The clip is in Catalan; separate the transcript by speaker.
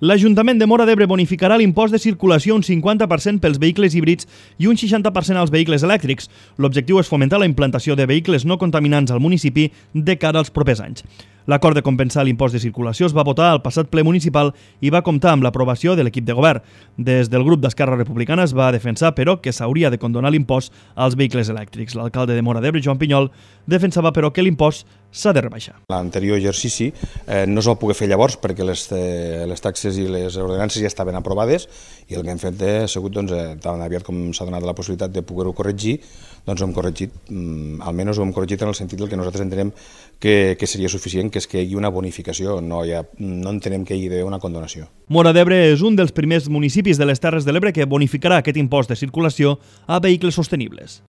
Speaker 1: L'Ajuntament de Móra d'Ebre bonificarà l'impost de circulació un 50% pels vehicles híbrids i un 60% als vehicles elèctrics. L'objectiu és fomentar la implantació de vehicles no contaminants al municipi de cara als propers anys. L'acord de compensar l'impost de circulació es va votar al passat ple municipal i va comptar amb l'aprovació de l'equip de govern. Des del grup d'Esquerra Republicana es va defensar, però, que s'hauria de condonar l'impost als vehicles elèctrics. L'alcalde de Móra d'Ebre, Joan Pinyol, defensava, però, que l'impost s'ha de rebaixar.
Speaker 2: L'anterior exercici no es va poder fer llavors perquè les taxes i les ordenances ja estaven aprovades i el que hem fet ha sigut, tan aviat com s'ha donat la possibilitat de poder-ho corregir, doncs ho hem corregit, almenys ho hem corregit en el sentit que nosaltres entenem que seria suficient, que és que hi hagi una bonificació, no entenem que hi hagi d'haver una condonació.
Speaker 1: Móra d'Ebre és un dels primers municipis de les Terres de l'Ebre que bonificarà aquest impost de circulació a vehicles sostenibles.